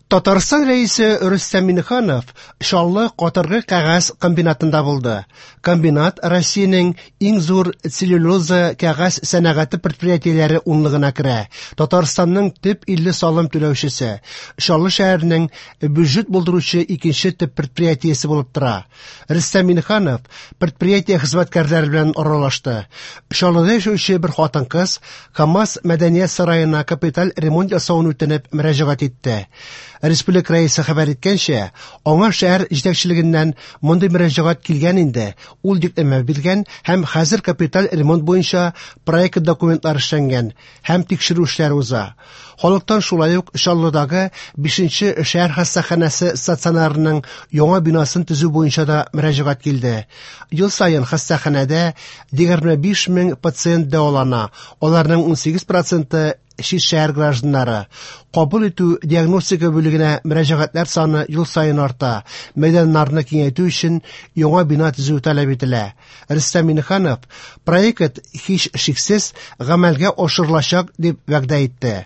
Татарстан Рәисе Рөстәм Миңнеханов Чаллы катыргы кәгазь комбинатында булды. Комбинат Россиянең иң зур целлюлоза кәгазь сәнәгате предприятиеләре унлыгына керә. Татарстанның төп 50 салым түләүчесе, Чаллы шәһәренең бюджет булдыручы икенче төп предприятиесе булып тора. Рөстәм Миңнеханов предприятие хезмәткәрләре белән аралашты. Чаллыда яшәүче бер хатын-кыз КАМАЗ мәдәният сараена капиталь ремонт ясавын үтенеп мөрәҗәгать итте. Республика Рәисе хәбәр иткәнчә, аңа шәһәр җитәкчелегеннән мондый мөрәҗәгать килгән инде, ул йөкләмә биргән һәм хәзер капиталь ремонт буенча проект документлары эшләнгән һәм тикшерү эшләре уза. Халыктан шулай ук Чаллыдагы 5нче шәһәр хастаханәсе стационарының яңа бинасын төзү буенча да мөрәҗәгать килде. Ел саен хастаханәдә 25 мең пациент дәвалана, аларның 18 проценты чит шәһәр гражданнары. Кабул итү диагностика бүлегенә мөрәҗәгатьләр саны ел саен арта. Мәйданнарны киңәйтү өчен яңа бина төзү таләп ителә. Рөстәм Миңнеханов проект һич шиксез гамәлгә ашырылачак дип вәгъдә итте.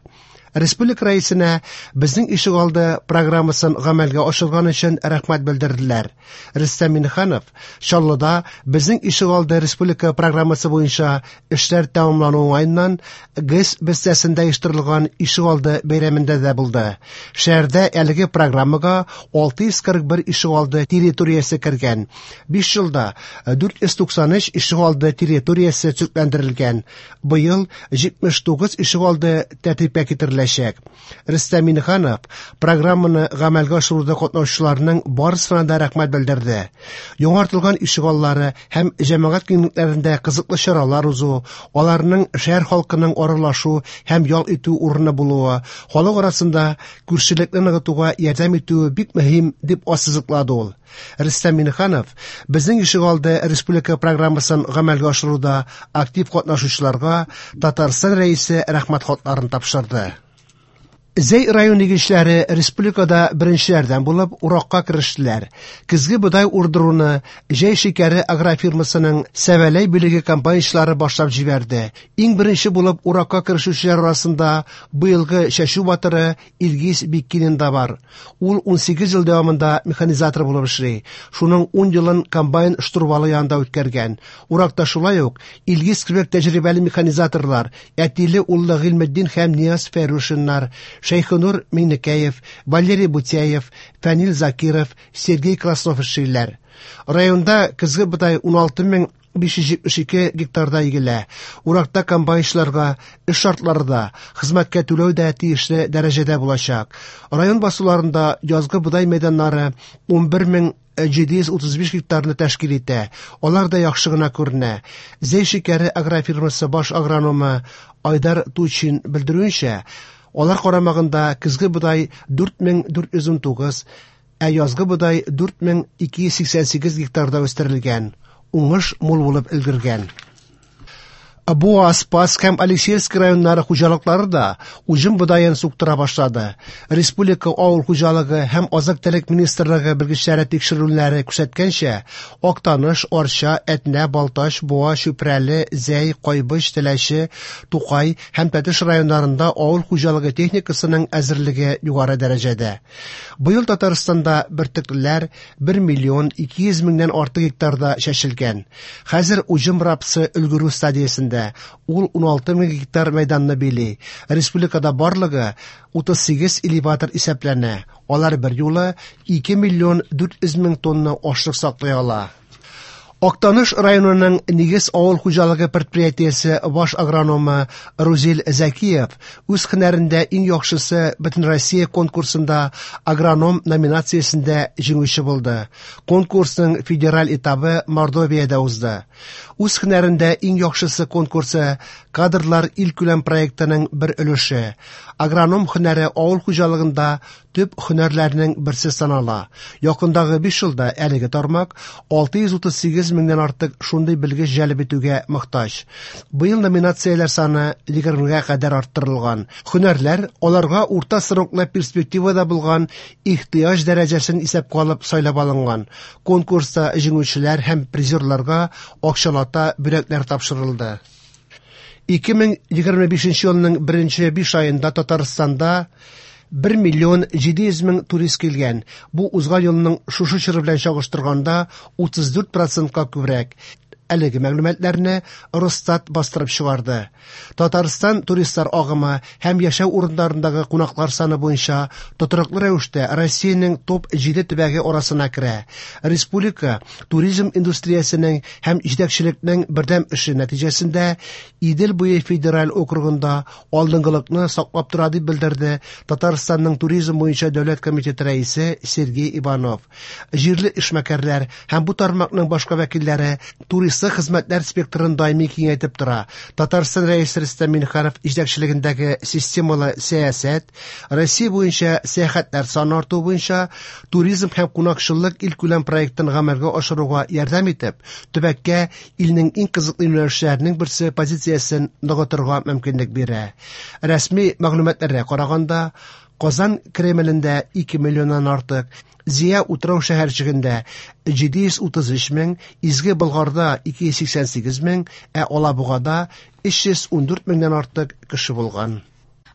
Республика Рәисенә Безнең ишегалды программасын гамәлгә ашырган өчен рәхмәт белдерделәр. Рөстәм Миңнеханов Чаллыда Безнең ишегалды республика программасы буенча эшләр тәмамлану уңаеннан ГЭС бистәсендә оештырылган ишегалды бәйрәмендә дә булды. Шәһәрдә әлеге программага 641 ишегалды территориясе кергән. 5 елда 493 ишегалды территориясе төзекләндерелгән. Быел 79 ишегалды тәртипкә китереләчәк. Рөстәм Миңнеханов программаны гамәлгә ашыруда катнашучыларның барысына да рәхмәт белдерде. Яңартылган ишегаллары һәм җәмәгать киңлекләрендә кызыклы чаралар узу, аларның шәһәр халкының аралашу һәм ял итү урыны булуы, халык арасында күршелекне ныгытуга ярдәм итүе бик мөһим, дип ассызыклады ул. Рөстәм Миңнеханов Безнең ишегалды республика программасын гамәлгә ашыруда актив катнашучыларга Татарстан Рәисе рәхмәт хатларын тапшырды. Зәй районы игенчеләре республикада беренчеләрдән булып уракка керештеләр. Көзге бодай урдыруны Җәй шикәре агрофирмасының Сәвәләй бүлеге комбайнчылары башлап җибәрде. Иң беренче булып уракка керешүчеләр арасында быелгы чәчү батыры Илгиз Биккинин да бар. Ул 18 ел дәвамында механизатор булып эшли. Шуның 10 елын комбайн штурвалы янында үткәргән. Уракта шулай ук Илгиз кебек тәҗрибәле механизаторлар, әтиле уллы Гыйльметдин һәм Нияз Фәрушиннар, Шәйхенур Миңнекәев, Валерий Бутяев, Фәнил Закиров, Сергей Краснов эшлиләр. Районда көзге бодай 16 572 гектарда игелә. Уракта комбайнчыларга эш шартлары да, хезмәткә түләү дә тиешле дәрәҗәдә булачак. Район басуларында язгы бодай мәйданнары 11 735 гектарны тәшкил итә. Алар да яхшы гына күренә. Зәй шикәре агрофирмасы баш агрономы Айдар Тучин белдерүенчә, алар карамагында көзге бодай 4419, ә язгы бодай 4288 гектарда үстерелгән. Уңыш мул булып өлгергән. Буа, Спасск һәм Алексеевск районнары хуҗалыклары да уҗым бодаен суктыра башлады. Республика авыл хуҗалыгы һәм азык-төлек министрлыгы белгечләре тикшерүләре күрсәткәнчә, Актаныш, Арча, Әтнә, Балтач, Буа, Чүпрәле, Зәй, Кайбыч, Теләче, Тукай һәм Тәтеш районнарында авыл хуҗалыгы техникасының әзерлеге югары дәрәҗәдә. Быел Татарстанда бөртеклеләр 1 миллион 200 меңнән артык гектарда чәчелгән. Хәзер уҗым рапсы өлгерү стадиясендә. Ул 16 мең гектар мәйданны били. Республикада барлыгы 38 элеватор исәпләнә. Алар бер юлы 2 миллион 400 мең тонна ашлык саклый ала. Актаныш районының Нигез авыл хуҗалыгы предприятиесе баш агрономы Рузил Зәкиев үз һөнәрендә иң яхшысы Бөтенроссия конкурсында агроном номинациясендә җиңүче булды. Конкурсның федераль этабы Мордовиядә узды. Үз һөнәрендә иң яхшысы конкурсы кадрлар илкүләм проектының бер өлеше. Агроном һөнәре авыл хуҗалыгында төп һөнәрләрнең берсе санала. Якындагы 5 елда әлеге тармак 638 меңнән артык шундый белгеч җәлеп итүгә мохтаҗ. Быел номинацияләр саны 20гә кадәр арттырылган. Һөнәрләр аларга урта сроклы перспективада булган ихтыяҗ дәрәҗәсен исәпкә алып сайлап алынган. Конкурста җиңүчеләр һәм призерларга акчалата бүләкләр тапшырылды. 2025 елның беренче 5 аенда Татарстанда 1 миллион 700 мең турист килгән. Бу узган елның шушы чоры белән чагыштырганда 34 процентка күбрәк. Әлеге мәгълүматларны Росстат бастырып чыгарды. Татарстан туристлар агымы һәм яшәү урыннарындагы кунаклар саны буенча тотрыклы рәвештә Россиянең топ-7 төбәге арасына керә. Республика туризм индустриясенең һәм җитәкчелекнең бердәм эше нәтиҗәсендә Идел буе федераль округында алдынгылыкны саклап тора, дип белдерде Татарстанның туризм буенча дәүләт комитеты рәисе Сергей Иванов. Җирле эшмәкәрләр һәм бу тармакның башка вәкилләре туристлык хезмәтләр спектрын даими киңәйтеп тора. Татарстан Рәисе Рөстәм Миңнеханов җитәкчелегендәге системалы сәясәт Россия буенча сәяхәтләр саны арту буенча туризм һәм кунакчыллык илкүләм проектын гамәлгә ашыруга ярдәм итеп, төбәккә илнең иң кызыклы юнәлешләренең берсе позициясен ныгытырга мөмкинлек бирә. Рәсми мәгълүматларга караганда, Казан Кремлендә 2 миллионнан артык, Зөя утрау шәһәрчегендә 733 мең, Изге Болгарда 288 мең, ә Алабугада 314 меңнән артык кеше булган.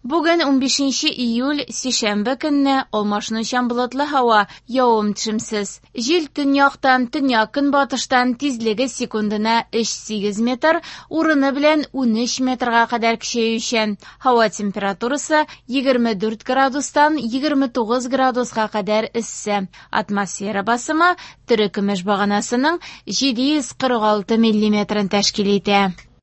Бүген 15 июль, сишәмбе көнне алмашынучан болытлы һава, явым-төшемсез. Җил төньяктан, төньяк-көнбатыштан тизлеге секундына 3,8 метр, урыны белән 13 метрга кадәр көчәючән. Һава температурасы 24 градустан 29 градуска кадәр эссе. Атмосфера басымы терекөмеш баганасының 746 миллиметрын тәшкил итә.